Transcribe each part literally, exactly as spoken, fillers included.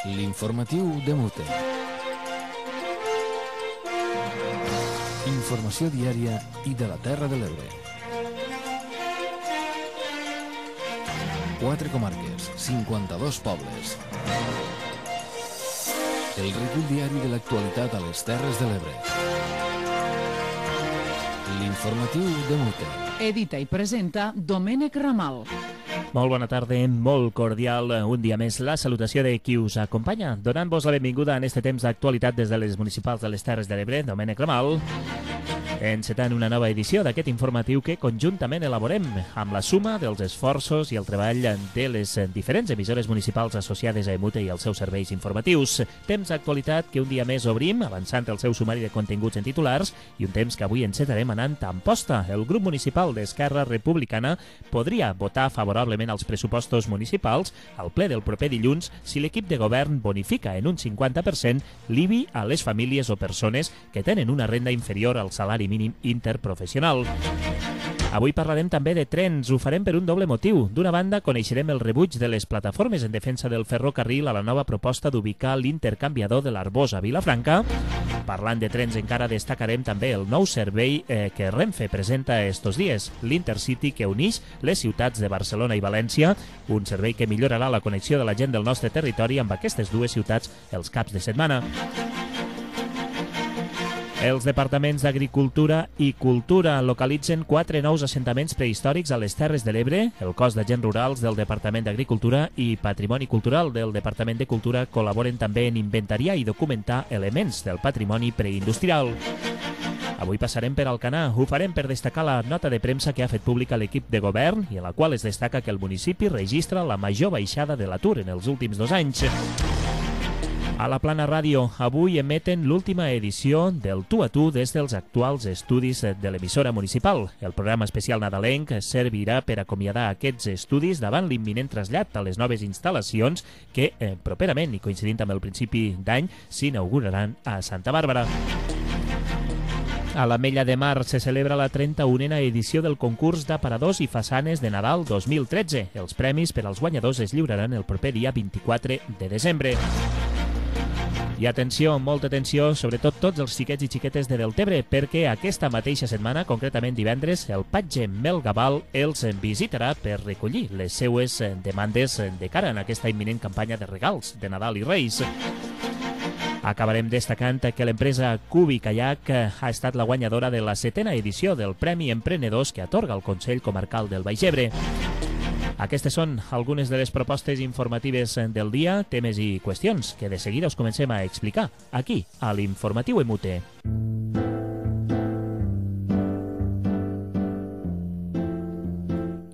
L'informatiu de Mute. Informació diària i de la Terra de l'Ebre. Quatre comarques, cinquanta-dos pobles. El recull diari de l'actualitat a les Terres de l'Ebre. L'informatiu de Mute. Edita i presenta Domènec Ramal. Molt bona tarda, molt cordial, un dia més la salutació de qui us acompanya, donant-vos la benvinguda en este temps d'actualitat des de les municipals de les Terres de l'Ebre, Domènec Ramal, encetant una nova edició d'aquest informatiu que conjuntament elaborem amb la suma dels esforços i el treball de les diferents emissores municipals associades a Emute i als seus serveis informatius. Temps d'actualitat que un dia més obrim, avançant el seu sumari de continguts en titulars, i un temps que avui encetarem anant a Amposta. El grup municipal d'Esquerra Republicana podria votar favorablement als pressupostos municipals al ple del proper dilluns si l'equip de govern bonifica en un cinquanta per cent l'I B I a les famílies o persones que tenen una renda inferior al salari mínim interprofessional. Avui parlarem també de trens, ho farem per un doble motiu. D'una banda, coneixerem el rebuig de les plataformes en defensa del ferrocarril a la nova proposta d'ubicar l'intercanviador de l'Arbós a Vilafranca. Parlant de trens encara destacarem també el nou servei eh, que Renfe presenta estos dies, l'Intercity que uneix les ciutats de Barcelona i València, un servei que millorarà la connexió de la gent del nostre territori amb aquestes dues ciutats els caps de setmana. Els departaments d'Agricultura i Cultura localitzen quatre nous assentaments prehistòrics a les Terres de l'Ebre. El cos d'agents rurals del Departament d'Agricultura i Patrimoni Cultural del Departament de Cultura col·laboren també en inventariar i documentar elements del patrimoni preindustrial. Avui passarem per Alcanar. Ho farem per destacar la nota de premsa que ha fet pública l'equip de govern i en la qual es destaca que el municipi registra la major baixada de l'atur en els últims dos anys. A la Plana Ràdio, avui emeten l'última edició del Tu a Tu des dels actuals estudis de l'emissora municipal. El programa especial nadalenc servirà per acomiadar aquests estudis davant l'imminent trasllat a les noves instal·lacions que eh, properament, i coincidint amb el principi d'any, s'inauguraran a Santa Bàrbara. A l'Ametlla de Mar se celebra la trenta-unena edició del concurs d'aparadors i façanes de Nadal dos mil tretze. Els premis per als guanyadors es lliuraran el proper dia vint-i-quatre de desembre. I atenció, molta atenció, sobretot tots els xiquets i xiquetes de Deltebre, perquè aquesta mateixa setmana, concretament divendres, el patge Mel Gabal els visitarà per recollir les seues demandes de cara en aquesta imminent campanya de regals de Nadal i Reis. Acabarem destacant que l'empresa Cubi Kayak ha estat la guanyadora de la setena edició del Premi Emprenedors que atorga el Consell Comarcal del Baix Ebre. Aquestes són algunes de les propostes informatives del dia, temes i qüestions que de seguida us comencem a explicar aquí, a l'Informatiu Emute.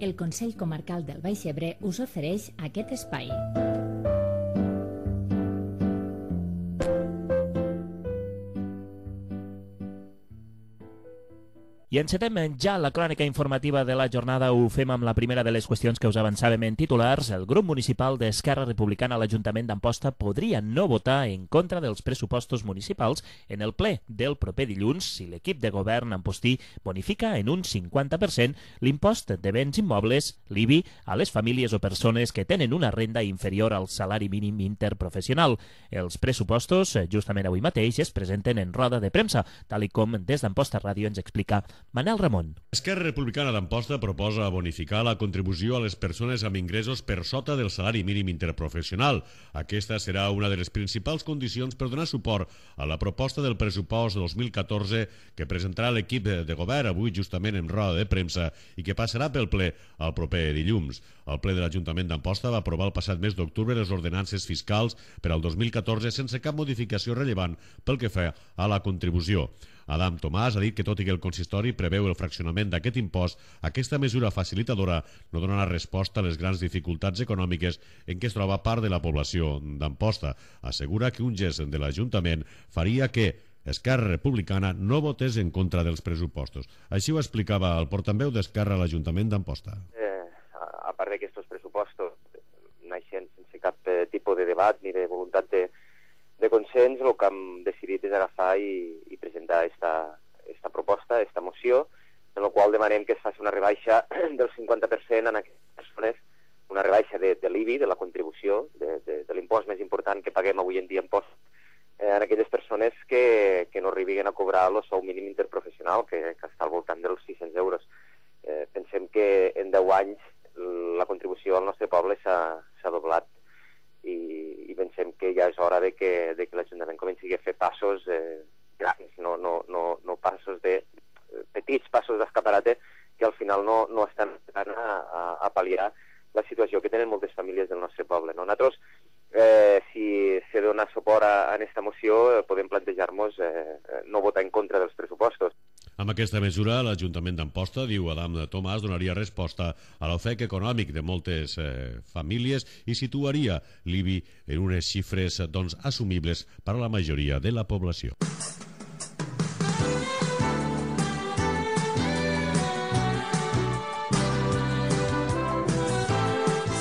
El Consell Comarcal del Baix Ebre us ofereix aquest espai. I encetem ja la crònica informativa de la jornada. Ho fem amb la primera de les qüestions que us avançàvem en titulars. El grup municipal d'Esquerra Republicana a l'Ajuntament d'Amposta podria no votar en contra dels pressupostos municipals en el ple del proper dilluns si l'equip de govern ampostí bonifica en un cinquanta per cent l'impost de béns immobles, l'I B I, a les famílies o persones que tenen una renda inferior al salari mínim interprofessional. Els pressupostos, justament avui mateix, es presenten en roda de premsa, tal i com des d'Amposta Ràdio ens explica Manel Ramon. Esquerra Republicana d'Amposta proposa bonificar la contribució a les persones amb ingressos per sota del salari mínim interprofessional. Aquesta serà una de les principals condicions per donar suport a la proposta del pressupost dos mil catorze que presentarà l'equip de govern avui justament en roda de premsa i que passarà pel ple el proper dilluns. El ple de l'Ajuntament d'Amposta va aprovar el passat mes d'octubre les ordenances fiscals per al dos mil catorze sense cap modificació rellevant pel que fa a la contribució. Adam Tomàs ha dit que tot i que el consistori preveu el fraccionament d'aquest impost, aquesta mesura facilitadora no donarà resposta a les grans dificultats econòmiques en què es troba part de la població d'Amposta. Assegura que un gest de l'Ajuntament faria que Esquerra Republicana no votés en contra dels pressupostos. Així ho explicava el portaveu d'Esquerra a l'Ajuntament d'Amposta. Eh, a part d'aquests pressupostos, naixen sense cap eh, tipus de debat ni de voluntat de de consens, el que hem decidit és agafar i, i presentar esta, esta proposta, esta moció, en la qual demanem que es faci una rebaixa del cinquanta per cent en aquestes persones, una rebaixa de, de l'I B I, de la contribució, de, de, de l'impost l'impost més important que paguem avui en dia en impost, eh, en aquelles persones que, que no arribin a cobrar el sou mínim interprofessional, que, que està al voltant dels sis-cents euros. Eh, pensem que en deu anys la contribució al nostre poble s'ha doblat i, i pensem que ja és hora de que, de que l'Ajuntament comenci a fer passos eh, grans, no, no, no, no passos de petits passos d'escaparate que al final no, no estan a, a, a pal·liar la situació que tenen moltes famílies del nostre poble. No? Nosaltres, eh, si se dona suport a, a aquesta moció, eh, podem plantejar-nos eh, no votar en contra dels pressupostos. Amb aquesta mesura, l'Ajuntament d'Amposta, diu Adam Tomàs, donaria resposta a l'ofec econòmic de moltes eh, famílies i situaria l'I B I en unes xifres doncs, assumibles per a la majoria de la població.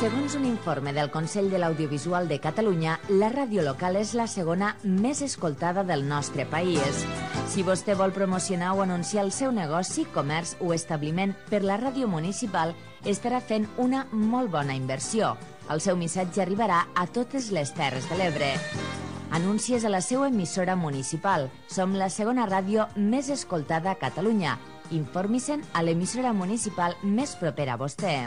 Segons un informe del Consell de l'Audiovisual de Catalunya, la ràdio local és la segona més escoltada del nostre país. Si vostè vol promocionar o anunciar el seu negoci, comerç o establiment per la ràdio municipal, estarà fent una molt bona inversió. El seu missatge arribarà a totes les Terres de l'Ebre. Anuncies a la seva emissora municipal. Som la segona ràdio més escoltada a Catalunya. Informi-se'n a l'emissora municipal més propera a vostè.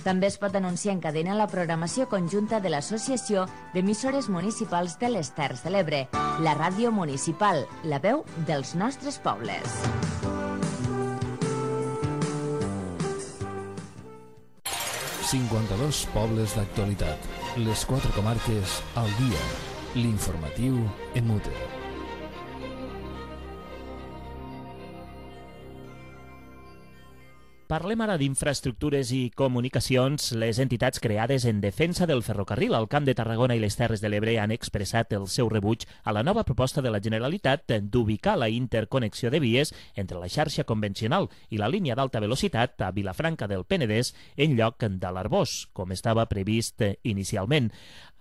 També es pot anunciar en cadena la programació conjunta de l'Associació d'Emissores Municipals de les Terres de l'Ebre, la ràdio municipal, la veu dels nostres pobles. cinquanta-dos pobles d'actualitat. Les quatre comarques al dia. L'informatiu en mute. Parlem ara d'infraestructures i comunicacions. Les entitats creades en defensa del ferrocarril al Camp de Tarragona i les Terres de l'Ebre han expressat el seu rebuig a la nova proposta de la Generalitat d'ubicar la interconnexió de vies entre la xarxa convencional i la línia d'alta velocitat a Vilafranca del Penedès en lloc de l'Arboç, com estava previst inicialment.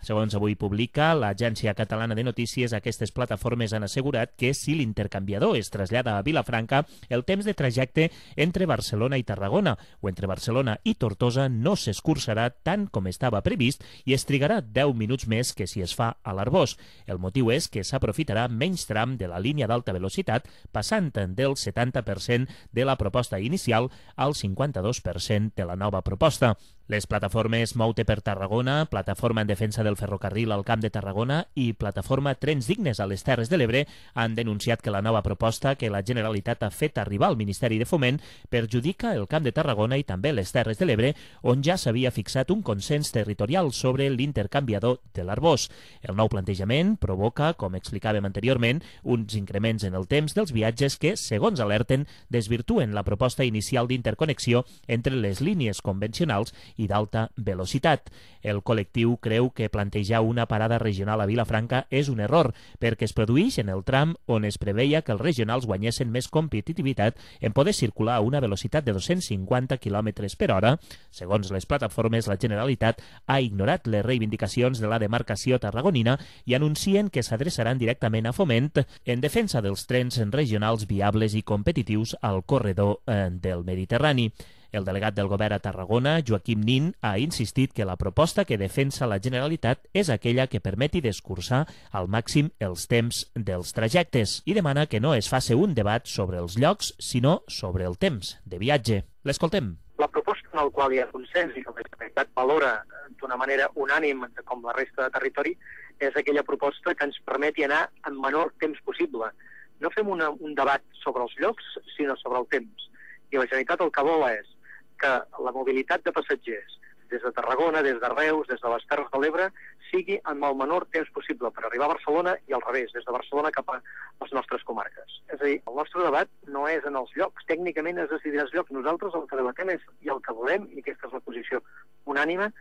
Segons avui publica l'Agència Catalana de Notícies, aquestes plataformes han assegurat que si l'intercanviador es trasllada a Vilafranca, el temps de trajecte entre Barcelona i Tarragona o entre Barcelona i Tortosa no s'escurçarà tant com estava previst i es trigarà deu minuts més que si es fa a l'Arboç. El motiu és que s'aprofitarà menys tram de la línia d'alta velocitat, passant del setanta per cent de la proposta inicial al cinquanta-dos per cent de la nova proposta. Les plataformes Moute per Tarragona, Plataforma en Defensa del Ferrocarril al Camp de Tarragona i Plataforma Trens Dignes a les Terres de l'Ebre han denunciat que la nova proposta que la Generalitat ha fet arribar al Ministeri de Foment perjudica el Camp de Tarragona i també les Terres de l'Ebre, on ja s'havia fixat un consens territorial sobre l'intercanviador de l'Arboç. El nou plantejament provoca, com explicàvem anteriorment, uns increments en el temps dels viatges que, segons alerten, desvirtuen la proposta inicial d'interconnexió entre les línies convencionals i d'alta velocitat. El col·lectiu creu que plantejar una parada regional a Vilafranca és un error, perquè es produeix en el tram on es preveia que els regionals guanyessin més competitivitat en poder circular a una velocitat de dos-cents cinquanta quilòmetres per hora. Segons les plataformes, la Generalitat ha ignorat les reivindicacions de la demarcació tarragonina i anuncien que s'adreçaran directament a Foment en defensa dels trens regionals viables i competitius al corredor eh, del Mediterrani. El delegat del govern a Tarragona, Joaquim Nin, ha insistit que la proposta que defensa la Generalitat és aquella que permeti d'escurçar al màxim els temps dels trajectes i demana que no es faci un debat sobre els llocs, sinó sobre el temps de viatge. L'escoltem. La proposta en la qual hi ha consens i que la Generalitat valora d'una manera unànime com la resta de territori és aquella proposta que ens permeti anar en menor temps possible. No fem una, un debat sobre els llocs, sinó sobre el temps. I la Generalitat el que vol és que la mobilitat de passatgers des de Tarragona, des de Reus, des de les Terres de l'Ebre, sigui en el menor temps possible per arribar a Barcelona i al revés, des de Barcelona cap a les nostres comarques. És a dir, el nostre debat no és en els llocs, tècnicament es decidirà els llocs. Nosaltres el que debatem és, i el que volem, i aquesta és la posició unànime,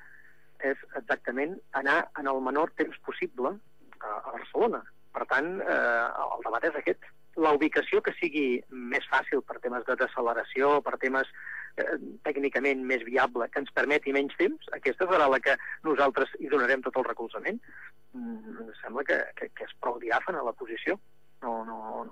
és exactament anar en el menor temps possible a, a Barcelona. Per tant, eh, el debat és aquest. La ubicació que sigui més fàcil per temes de deceleració, per temes eh, tècnicament més viable, que ens permeti menys temps, aquesta serà la que nosaltres hi donarem tot el recolzament. Mm, em sembla que, que, que és prou diàfana la posició. No, no,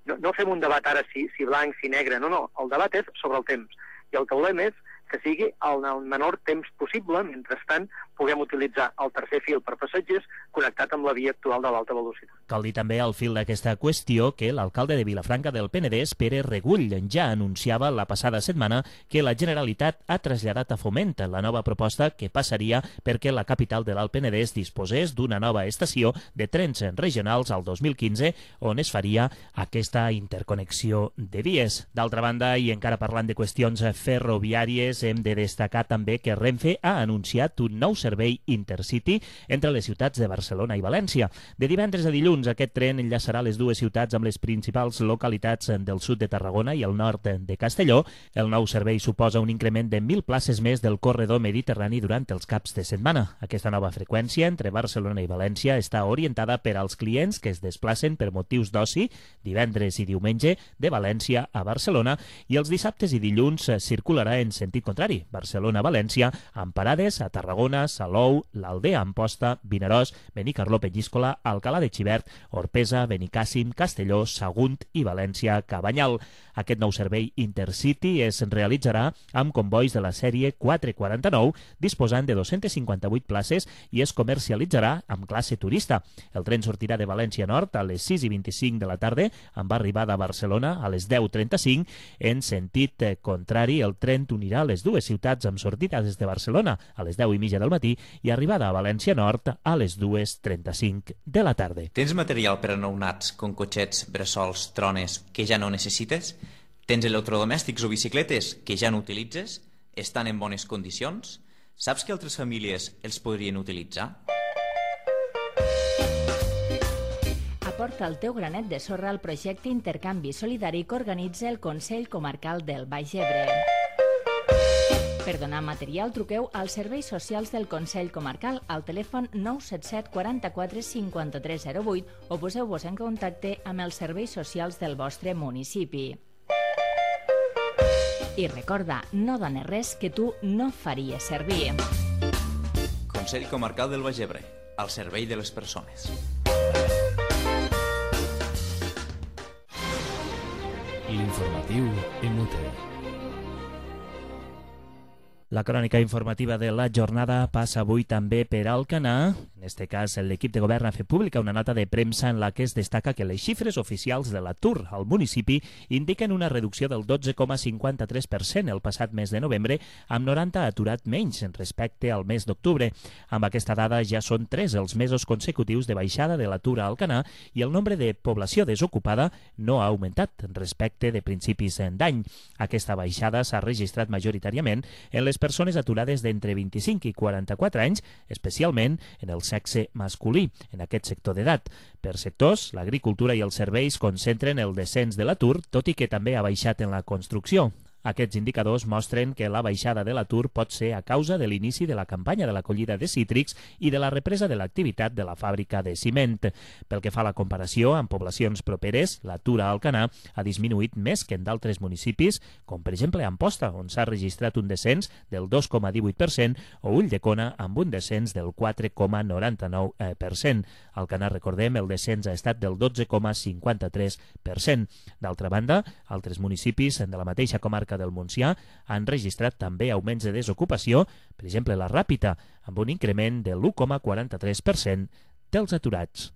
no, no fem un debat ara si, si blanc, si negre, no, no. El debat és sobre el temps. I el que volem és que sigui el, el menor temps possible. Mentrestant, puguem utilitzar el tercer fil per passatgers connectat amb la via actual de l'alta velocitat. Cal dir també al fil d'aquesta qüestió que l'alcalde de Vilafranca del Penedès, Pere Regull, ja anunciava la passada setmana que la Generalitat ha traslladat a Foment la nova proposta que passaria perquè la capital de l'Alt Penedès disposés d'una nova estació de trens regionals al dos mil quinze on es faria aquesta interconnexió de vies. D'altra banda, i encara parlant de qüestions ferroviàries, hem de destacar també que Renfe ha anunciat un nou servei Intercity entre les ciutats de Barcelona i València. De divendres a dilluns, aquest tren enllaçarà les dues ciutats amb les principals localitats del sud de Tarragona i el nord de Castelló. El nou servei suposa un increment de mil places més del corredor mediterrani durant els caps de setmana. Aquesta nova freqüència entre Barcelona i València està orientada per als clients que es desplacen per motius d'oci divendres i diumenge de València a Barcelona, i els dissabtes i dilluns circularà en sentit contrari, Barcelona-València, amb parades a Tarragona, Salou, l'Aldea Amposta, Vinaròs, Benicarló, Penyíscola, Alcalà de Xivert, Orpesa, Benicàssim, Castelló, Sagunt i València-Cabanyal. Aquest nou servei Intercity es realitzarà amb convois de la sèrie quatre quaranta-nou, disposant de dos-centes cinquanta-vuit places, i es comercialitzarà amb classe turista. El tren sortirà de València Nord a les sis i vint-i-cinc de la tarda, amb arribada a Barcelona a les deu trenta-cinc. En sentit contrari, el tren unirà les dues ciutats amb sortida des de Barcelona a les deu i mitja del matí i arribada a València Nord a les dues trenta-cinc de la tarda. Tens material per a nounats com cotxets, bressols, trones que ja no necessites? Tens electrodomèstics o bicicletes que ja no utilitzes? Estan en bones condicions? Saps que altres famílies els podrien utilitzar? Aporta el teu granet de sorra al projecte Intercanvi Solidari que organitza el Consell Comarcal del Baix Ebre. Per donar material, truqueu als serveis socials del Consell Comarcal al telèfon nou set set quaranta-quatre cinquanta-tres zero vuit o poseu-vos en contacte amb els serveis socials del vostre municipi. I recorda, no dones res que tu no faries servir. Consell Comarcal del Baix Ebre, al servei de les persones. L'informatiu Imute. La crònica informativa de la jornada passa avui també per Alcanar. En este cas, l'equip de govern ha fet pública una nota de premsa en la que es destaca que les xifres oficials de l'atur al municipi indiquen una reducció del dotze coma cinquanta-tres per cent el passat mes de novembre, amb noranta aturat menys respecte al mes d'octubre. Amb aquesta dada ja són tres els mesos consecutius de baixada de l'atur a Alcanar i el nombre de població desocupada no ha augmentat respecte de principis d'any. Aquesta baixada s'ha registrat majoritàriament en les persones aturades d'entre vint-i-cinc i quaranta-quatre anys, especialment en el sexe masculí, en aquest sector d'edat. Per sectors, l'agricultura i els serveis concentren el descens de l'atur, tot i que també ha baixat en la construcció. Aquests indicadors mostren que la baixada de l'atur pot ser a causa de l'inici de la campanya de l'acollida de cítrics i de la represa de l'activitat de la fàbrica de ciment. Pel que fa a la comparació amb poblacions properes, l'atur a Alcanar ha disminuït més que en d'altres municipis, com per exemple a Amposta, on s'ha registrat un descens del dos coma divuit per cent, o Ulldecona amb un descens del quatre coma noranta-nou per cent. A Alcanar, recordem, el descens ha estat del dotze coma cinquanta-tres per cent. D'altra banda, altres municipis de la mateixa comarca del Montsià han registrat també augments de desocupació, per exemple la Ràpita, amb un increment de l'u coma quaranta-tres per cent dels aturats.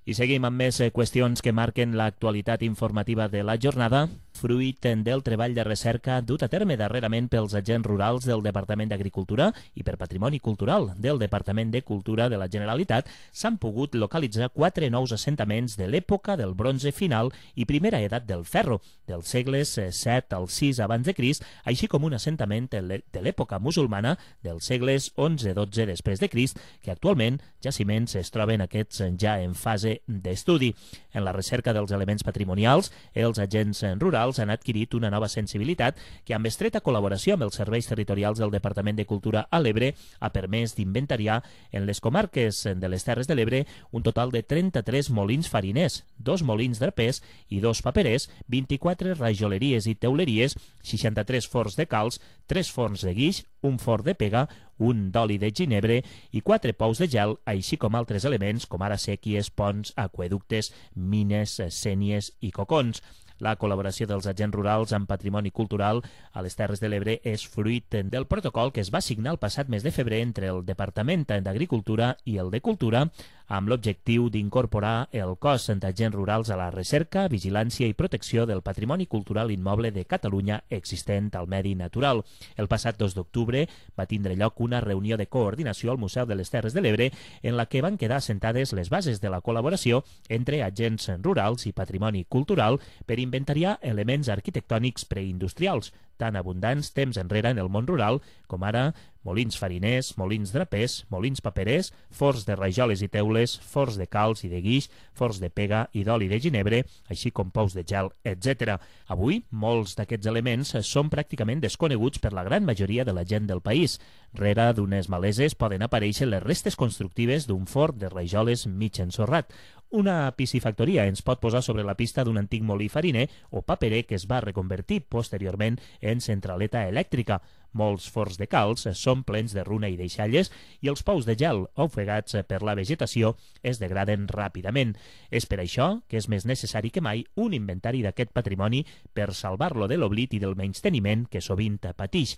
I seguim amb més qüestions que marquen l'actualitat informativa de la jornada, fruit del treball de recerca dut a terme darrerament pels agents rurals del Departament d'Agricultura i per Patrimoni Cultural del Departament de Cultura de la Generalitat. S'han pogut localitzar quatre nous assentaments de l'època del bronze final i primera edat del ferro, dels segles set al sis abans de Crist, així com un assentament de l'època musulmana dels segles onze dotze després de Crist, que actualment jaciments es troben aquests ja en fase d'estudi. En la recerca dels elements patrimonials, els agents rurals han adquirit una nova sensibilitat que, amb estreta col·laboració amb els serveis territorials del Departament de Cultura a l'Ebre, ha permès d'inventariar en les comarques de les Terres de l'Ebre un total de trenta-tres molins fariners, dos molins d'arpers i dos paperers, vint-i-quatre rajoleries i teuleries, seixanta-tres forns de calç, tres forns de guix, un forn de pega, un d'oli de ginebre i quatre pous de gel, així com altres elements com ara sèquies, ponts, aqüeductes, mines, sénies i cocons. La col·laboració dels agents rurals amb patrimoni cultural a les Terres de l'Ebre és fruit del protocol que es va signar el passat mes de febrer entre el Departament d'Agricultura i el de Cultura amb l'objectiu d'incorporar el cos d'agents rurals a la recerca, vigilància i protecció del patrimoni cultural immoble de Catalunya existent al medi natural. El passat dos d'octubre va tindre lloc una reunió de coordinació al Museu de les Terres de l'Ebre en la que van quedar assentades les bases de la col·laboració entre agents rurals i patrimoni cultural per inventariar elements arquitectònics preindustrials, tan abundants temps enrere en el món rural, com ara molins fariners, molins drapers, molins paperers, forns de rajoles i teules, forns de calç i de guix, forns de pega i d'oli de ginebre, així com pous de gel, etcètera. Avui, molts d'aquests elements són pràcticament desconeguts per la gran majoria de la gent del país. Rere d'unes maleses poden aparèixer les restes constructives d'un forn de rajoles mig ensorrat. Una piscifactoria ens pot posar sobre la pista d'un antic molí fariner o paperer que es va reconvertir posteriorment en centraleta elèctrica. Molts forns de calç són plens de runa i deixalles i els pous de gel, ofegats per la vegetació, es degraden ràpidament. És per això que és més necessari que mai un inventari d'aquest patrimoni per salvar-lo de l'oblit i del menysteniment que sovint patix.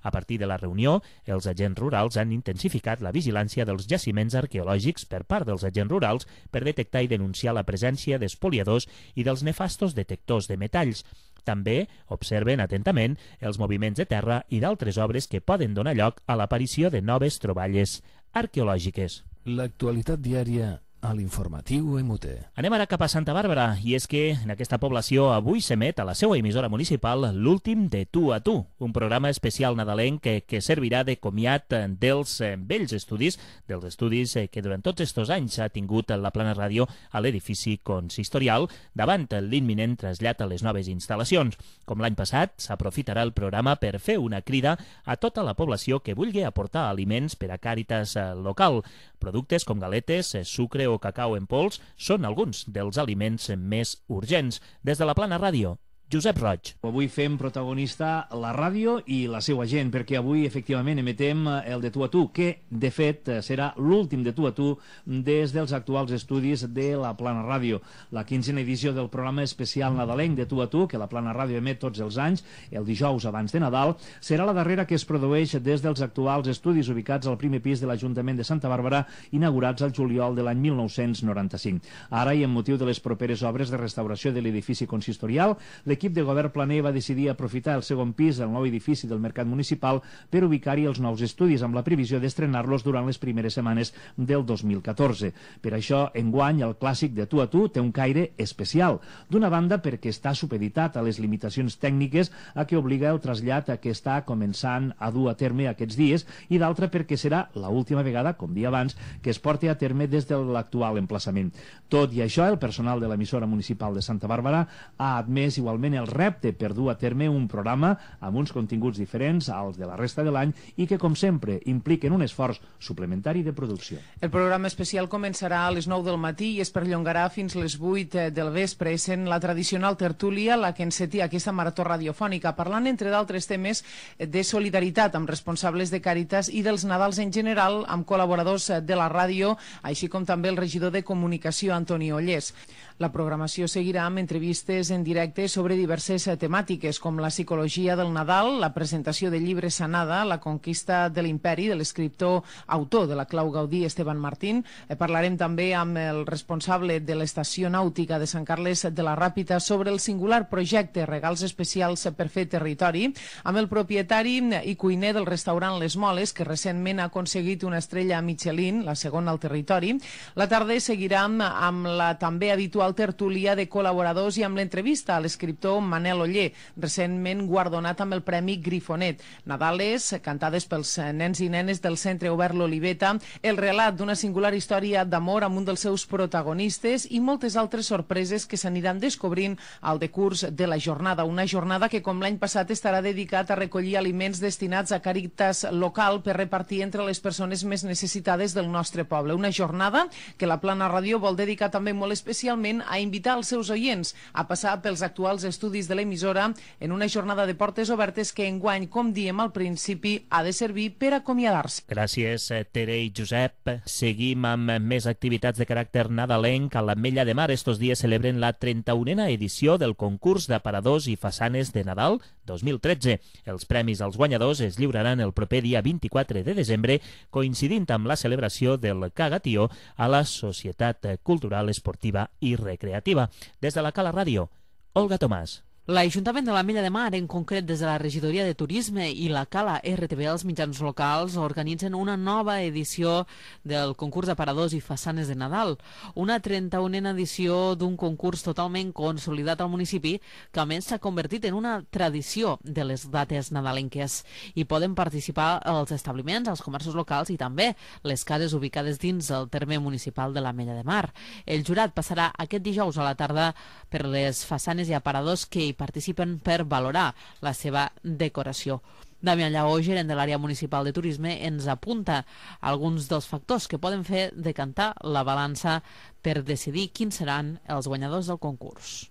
A partir de la reunió, els agents rurals han intensificat la vigilància dels jaciments arqueològics per part dels agents rurals per detectar i denunciar la presència d'espoliadors i dels nefastos detectors de metalls. També observen atentament els moviments de terra i d'altres obres que poden donar lloc a l'aparició de noves troballes arqueològiques. L'actualitat diària a l'informatiu M T. Anem ara cap a Santa Bàrbara, i és que en aquesta població avui s'emet a la seva emissora municipal l'últim de Tu a Tu, un programa especial nadalenc que, que servirà de comiat dels eh, vells estudis, dels estudis eh, que durant tots estos anys ha tingut la Plana Ràdio a l'edifici consistorial davant l'imminent trasllat a les noves instal·lacions. Com l'any passat, s'aprofitarà el programa per fer una crida a tota la població que vulgui aportar aliments per a Càritas eh, local. Productes com galetes, eh, sucre o cacau en pols són alguns dels aliments més urgents. Des de la Plana Ràdio, Josep Roig. Avui fem protagonista la ràdio i la seva gent, perquè avui efectivament emetem el de Tu a Tu, que de fet serà l'últim de Tu a Tu des dels actuals estudis de la Plana Ràdio. La quinzena edició del programa especial nadalenc de Tu a Tu, que la Plana Ràdio emet tots els anys, el dijous abans de Nadal, serà la darrera que es produeix des dels actuals estudis ubicats al primer pis de l'Ajuntament de Santa Bàrbara, inaugurats al juliol de l'any mil nou-cents noranta-cinc. Ara, i en motiu de les properes obres de restauració de l'edifici consistorial, l'equip de govern planer va decidir aprofitar el segon pis del nou edifici del Mercat Municipal per ubicar-hi els nous estudis, amb la previsió d'estrenar-los durant les primeres setmanes del dos mil catorze. Per això, enguany, el clàssic de Tu a Tu té un caire especial. D'una banda, perquè està supeditat a les limitacions tècniques a què obliga el trasllat a què està començant a dur a terme aquests dies, i d'altra perquè serà l'última vegada, com dia abans, que es porti a terme des de l'actual emplaçament. Tot i això, el personal de l'emissora municipal de Santa Bàrbara ha admès igualment el repte per dur a terme un programa amb uns continguts diferents als de la resta de l'any i que, com sempre, impliquen un esforç suplementari de producció. El programa especial començarà a les nou del matí i es perllongarà fins les vuit del vespre, sent la tradicional tertúlia la que encetia aquesta marató radiofònica, parlant, entre d'altres temes, de solidaritat amb responsables de Càritas i dels Nadals en general, amb col·laboradors de la ràdio, així com també el regidor de Comunicació, Antoni Ollés. La programació seguirà amb entrevistes en directe sobre diverses temàtiques, com la psicologia del Nadal, la presentació del llibre Sanada, la conquista de l'imperi, de l'escriptor autor de la clau Gaudí, Esteban Martín. Eh, parlarem també amb el responsable de l'estació nàutica de Sant Carles de la Ràpita sobre el singular projecte Regals Especials per fer territori, amb el propietari i cuiner del restaurant Les Moles, que recentment ha aconseguit una estrella Michelin, la segona al territori. La tarda seguirà amb la també habitual tertúlia de col·laboradors i amb l'entrevista a l'escriptor Manel Oller, recentment guardonat amb el Premi Grifonet. Nadales, cantades pels nens i nenes del Centre Obert L'Oliveta, el relat d'una singular història d'amor amb un dels seus protagonistes i moltes altres sorpreses que s'aniran descobrint al decurs de la jornada. Una jornada que, com l'any passat, estarà dedicat a recollir aliments destinats a Càritas local per repartir entre les persones més necessitades del nostre poble. Una jornada que la Plana Ràdio vol dedicar també molt especialment a invitar els seus oients a passar pels actuals d'estudis de l'emissora en una jornada de portes obertes que enguany, com diem al principi, ha de servir per acomiadar-se. Gràcies, Tere i Josep. Seguim amb més activitats de caràcter nadalenc. A l'Ametlla de Mar estos dies celebren la trenta-unena edició del concurs d'aparadors i façanes de Nadal dos mil tretze. Els premis als guanyadors es lliuraran el proper dia vint-i-quatre de desembre, coincidint amb la celebració del Cagatió a la Societat Cultural, Esportiva i Recreativa. Des de la Cala Ràdio, Olga Tomàs. L'Ajuntament de l'Ametlla de Mar, en concret des de la Regidoria de Turisme i la Cala R T V, els mitjans locals, organitzen una nova edició del concurs d'aparadors i façanes de Nadal. Una trenta-unena edició d'un concurs totalment consolidat al municipi, que a més s'ha convertit en una tradició de les dates nadalenques. Hi poden participar els establiments, els comerços locals i també les cases ubicades dins el terme municipal de l'Ametlla de Mar. El jurat passarà aquest dijous a la tarda per les façanes i aparadors que hi participen per valorar la seva decoració. Damià Lleó, gerent de l'àrea municipal de turisme, ens apunta alguns dels factors que poden fer decantar la balança per decidir quins seran els guanyadors del concurs.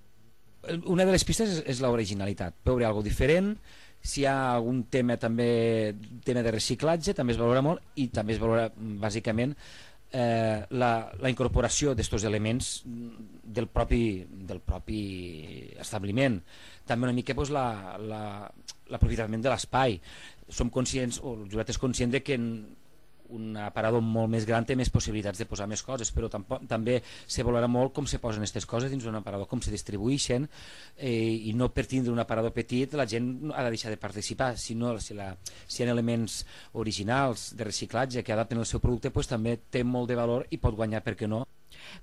Una de les pistes és, és l'originalitat, veure alguna cosa diferent. Si hi ha algun tema també tema de reciclatge, també es valora molt, i també es valora bàsicament Eh, la, la incorporació d'estos elements del propi, del propi establiment. També una mica pues, la, la, l'aprofitament de l'espai. Som conscients, o el jurat és conscient de que en un aparador molt més gran té més possibilitats de posar més coses, però tampoc, també se valora molt com se posen aquestes coses dins d'un aparador, com se distribueixen, eh, i no per tindre un aparador petit la gent ha de deixar de participar. Si, no, si, la, si hi ha elements originals de reciclatge que adapten el seu producte, pues, també té molt de valor i pot guanyar, per què no.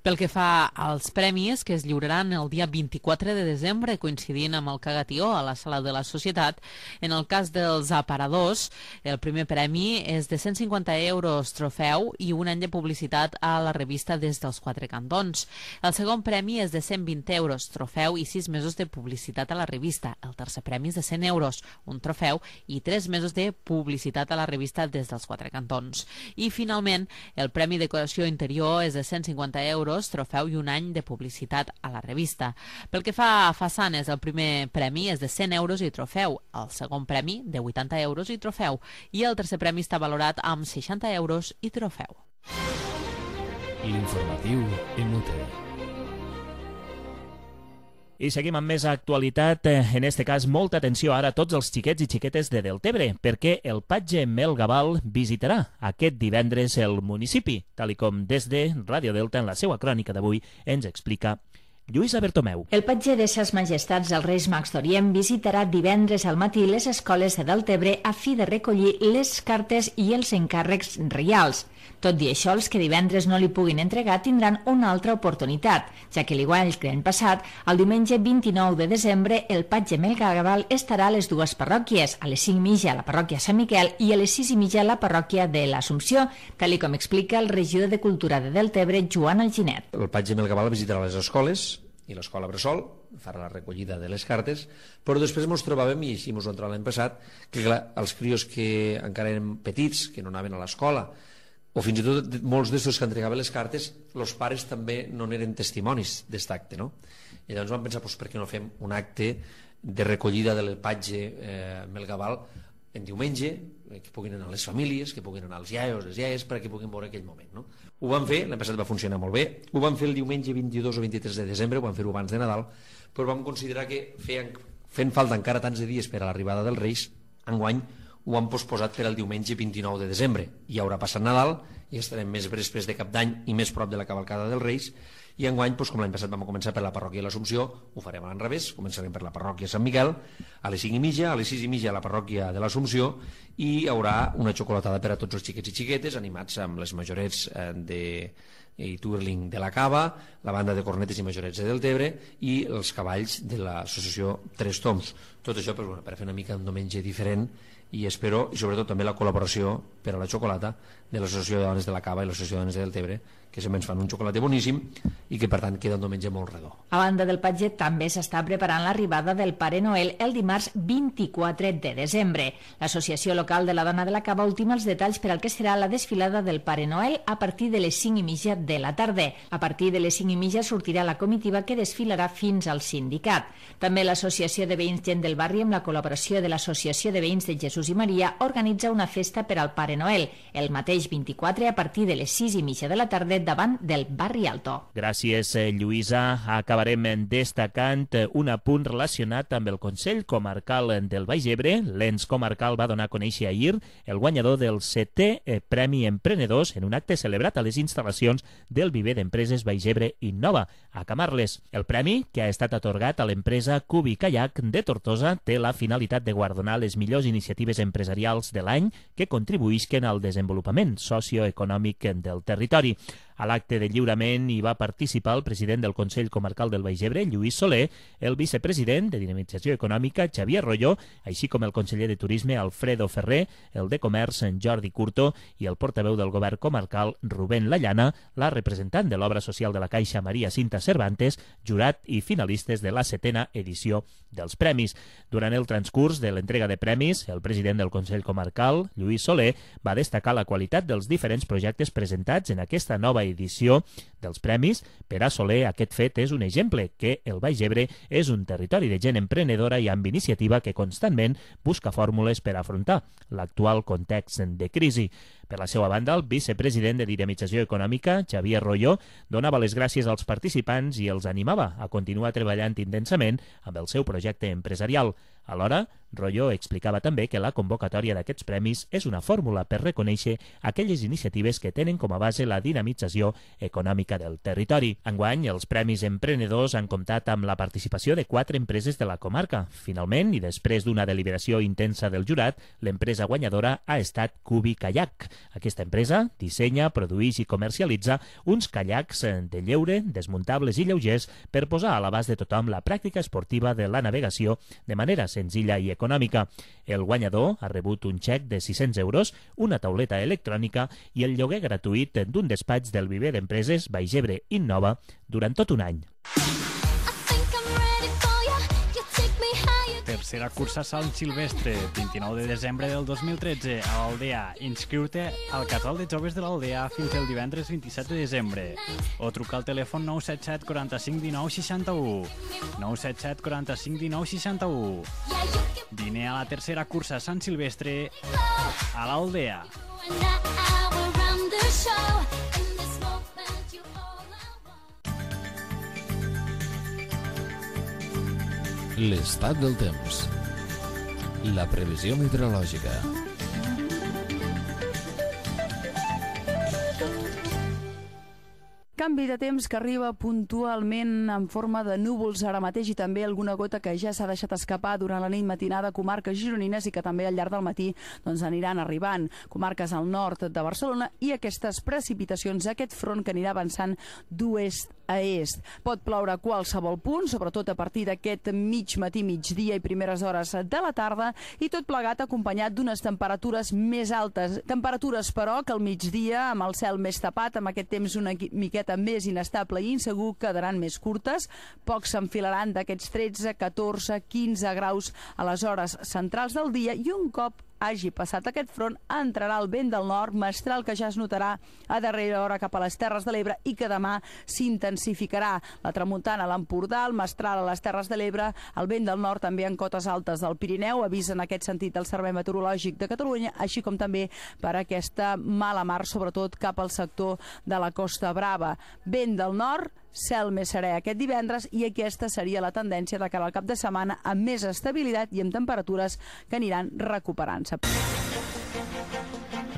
Pel que fa als premis, que es lliuraran el dia vint-i-quatre de desembre, coincidint amb el Cagatió a la Sala de la Societat, en el cas dels aparadors, el primer premi és de cent cinquanta euros trofeu i un any de publicitat a la revista Des dels Quatre Cantons. El segon premi és de cent vint euros trofeu i sis mesos de publicitat a la revista. El tercer premi és de cent euros, un trofeu i tres mesos de publicitat a la revista Des dels Quatre Cantons. I finalment, el premi decoració interior és de cent cinquanta euros, trofeu i un any de publicitat a la revista. Pel que fa a façanes, el primer premi és de cent euros i trofeu, el segon premi de vuitanta euros i trofeu, i el tercer premi està valorat amb seixanta euros i trofeu. L'informatiu inútil. I seguim amb més actualitat, en este cas molta atenció ara a tots els xiquets i xiquetes de Deltebre, perquè el patge Mel Gabal visitarà aquest divendres el municipi, tal i com des de Ràdio Delta en la seva crònica d'avui ens explica Lluïsa Bertomeu. El patge de Ses Majestats els Reis Mags d'Orient visitarà divendres al matí les escoles de Deltebre a fi de recollir les cartes i els encàrrecs reials. Tot i això, els que divendres no li puguin entregar tindran una altra oportunitat, ja que l'igual que l'any passat, el diumenge vint-i-nou de desembre, el patge Mel Gabal estarà a les dues parròquies, a les cinc i mitja a la parròquia Sant Miquel i a les sis i mitja a la parròquia de l'Assumpció, tal com explica el regidor de Cultura de Deltebre, Joan Alginet. El patge Mel Gabal visitarà les escoles i l'escola Bressol, farà la recollida de les cartes, però després ens trobàvem, i així ens ho hem trobat l'any passat, que clar, els crios que encara eren petits, que no anaven a l'escola, o fins i tot molts d'estos que entregaven les cartes, els pares també no eren testimonis d'aquest acte, no? I llavors vam pensar, doncs, per què no fem un acte de recollida del patge eh, Mel Gabal en diumenge, que puguin anar les famílies, que puguin anar els iaios, les iaies, perquè puguin veure aquell moment, no? Ho vam fer, l'any passat va funcionar molt bé, ho vam fer el diumenge vint-i-dos o vint-i-tres de desembre, ho vam fer-ho abans de Nadal, però vam considerar que feien, fent falta encara tants de dies per a l'arribada dels Reis, enguany ho han posposat per al diumenge vint-i-nou de desembre. I haurà passat Nadal, i estarem més després de Cap d'Any i més prop de la cavalcada dels Reis, i enguany, doncs, com l'any passat vam començar per la parròquia de l'Assumpció, ho farem a l'enrevés, començarem per la parròquia Sant Miquel, a les cinc i mitja, a les sis i mitja a la parròquia de l'Assumpció, i hi haurà una xocolatada per a tots els xiquets i xiquetes, animats amb les majorets de i Twirling de la Cava, la banda de cornetes i majorets de Deltebre i els cavalls de l'associació Tres Toms. Tot això per, bueno, per fer una mica un diumenge diferent i espero, i sobretot també la col·laboració per a la xocolata de l'Associació de Dones de la Cava i l'Associació de Dones de Deltebre, que sempre ens fan un xocolate boníssim i que per tant queda un diumenge molt redó. A banda del Patget també s'està preparant l'arribada del Pare Noel el dimarts vint-i-quatre de desembre. L'Associació Local de la Dona de la Cava ultima els detalls per al que serà la desfilada del Pare Noel a partir de les cinc i mitja de la tarda. A partir de les cinc i mitja sortirà la comitiva que desfilarà fins al sindicat. També l'Associació de Veïns Gent del Barri, amb la col·laboració de l'Associació de Veïns de Jesús i Maria, organitza una festa per al Pare Noel el mateix vint-i-quatre a partir de les sis i mitja de la tarda davant del Barri Alto. Gràcies, Lluïsa. Acabarem destacant un apunt relacionat amb el Consell Comarcal del Baix Ebre. L'ens comarcal va donar a conèixer ahir el guanyador del setè Premi Emprenedors en un acte celebrat a les instal·lacions del viver d'empreses Baix Ebre Innova, a Camarles. El premi, que ha estat atorgat a l'empresa Cubi Kayak de Tortosa, té la finalitat de guardonar les millors iniciatives empresarials de l'any que contribuïsquen al desenvolupament socioeconòmic del territori. A l'acte de lliurament hi va participar el president del Consell Comarcal del Baix Ebre, Lluís Soler, el vicepresident de Dinamització Econòmica, Xavier Rolló, així com el conseller de Turisme, Alfredo Ferrer, el de Comerç, Jordi Curto, i el portaveu del govern comarcal, Rubén Lallana, la representant de l'obra social de la Caixa, Maria Cinta Cervantes, jurat i finalistes de la setena edició dels premis. Durant el transcurs de l'entrega de premis, el president del Consell Comarcal, Lluís Soler, va destacar la qualitat dels diferents projectes presentats en aquesta nova edició dels premis. Per a Soler, aquest fet és un exemple que el Baix Ebre és un territori de gent emprenedora i amb iniciativa que constantment busca fórmules per afrontar l'actual context de crisi. Per la seva banda, el vicepresident de Dinamització Econòmica, Xavier Rolló, donava les gràcies als participants i els animava a continuar treballant intensament amb el seu projecte empresarial. Alhora, Rolló explicava també que la convocatòria d'aquests premis és una fórmula per reconèixer aquelles iniciatives que tenen com a base la dinamització econòmica del territori. Enguany, els Premis Emprenedors han comptat amb la participació de quatre empreses de la comarca. Finalment, i després d'una deliberació intensa del jurat, l'empresa guanyadora ha estat Cubi Kayak. Aquesta empresa dissenya, produeix i comercialitza uns caiacs de lleure, desmuntables i lleugers per posar a l'abast de tothom la pràctica esportiva de la navegació de manera senzilla i econòmica. El guanyador ha rebut un xec de sis-cents euros, una tauleta electrònica i el lloguer gratuït d'un despatx del viver d'empreses Baix Ebre Innova durant tot un any. Tercera cursa Sant Silvestre, vint-i-nou de desembre del dos mil tretze, a l'Aldea. Inscriu-te al casal de joves de l'Aldea fins el divendres vint-i-set de desembre. O truca al telèfon nou set set quaranta-cinc dinou seixanta-u. nou set set quaranta-cinc dinou seixanta-u. Vine a la tercera cursa Sant Silvestre a l'Aldea. L'estat del temps. La previsió meteorològica. Canvi de temps que arriba puntualment en forma de núvols ara mateix i també alguna gota que ja s'ha deixat escapar durant la nit matinada a comarques gironines i que també al llarg del matí doncs, aniran arribant. Comarques al nord de Barcelona i aquestes precipitacions, aquest front que anirà avançant d'oest a est. Pot ploure a qualsevol punt, sobretot a partir d'aquest mig matí, migdia i primeres hores de la tarda, i tot plegat acompanyat d'unes temperatures més altes. Temperatures, però, que al migdia, amb el cel més tapat, amb aquest temps una miqueta més inestable i insegur, quedaran més curtes. Pocs s'enfilaran d'aquests tretze, catorze, quinze graus a les hores centrals del dia i un cop hagi passat aquest front, entrarà el vent del nord, mestral que ja es notarà a darrera hora cap a les Terres de l'Ebre i que demà s'intensificarà. La tramuntana a l'Empordà, el mestral a les Terres de l'Ebre, el vent del nord també en cotes altes del Pirineu, avisa en aquest sentit el Servei Meteorològic de Catalunya, així com també per aquesta mala mar, sobretot cap al sector de la Costa Brava. Vent del nord, cel més serè aquest divendres i aquesta seria la tendència de cara al cap de setmana amb més estabilitat i amb temperatures que aniran recuperant-se.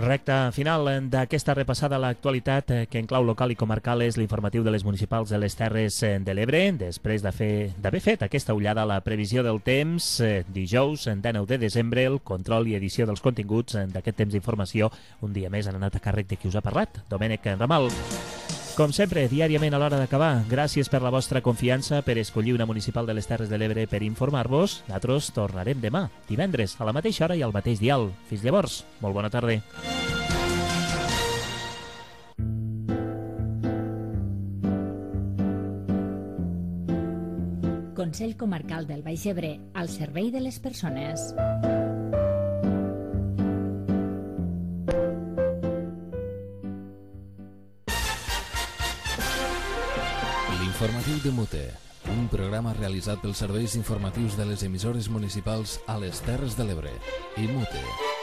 Recta final d'aquesta repassada a l'actualitat que en clau local i comarcal és l'informatiu de les municipals de les Terres de l'Ebre. Després d'haver fet aquesta ullada a la previsió del temps, dijous, dinou de desembre, el control i edició dels continguts d'aquest temps d'informació un dia més han anat a càrrec de qui us ha parlat, Domènec Ramal. Com sempre, diàriament a l'hora d'acabar, gràcies per la vostra confiança, per escollir una municipal de les Terres de l'Ebre per informar-vos. Nosaltres tornarem demà, divendres, a la mateixa hora i al mateix dial. Fins llavors, molt bona tarda. Consell Comarcal del Baix Ebre, al servei de les persones. L'informatiu de Mute, un programa realitzat pels serveis informatius de les emissores municipals a les Terres de l'Ebre i Mute.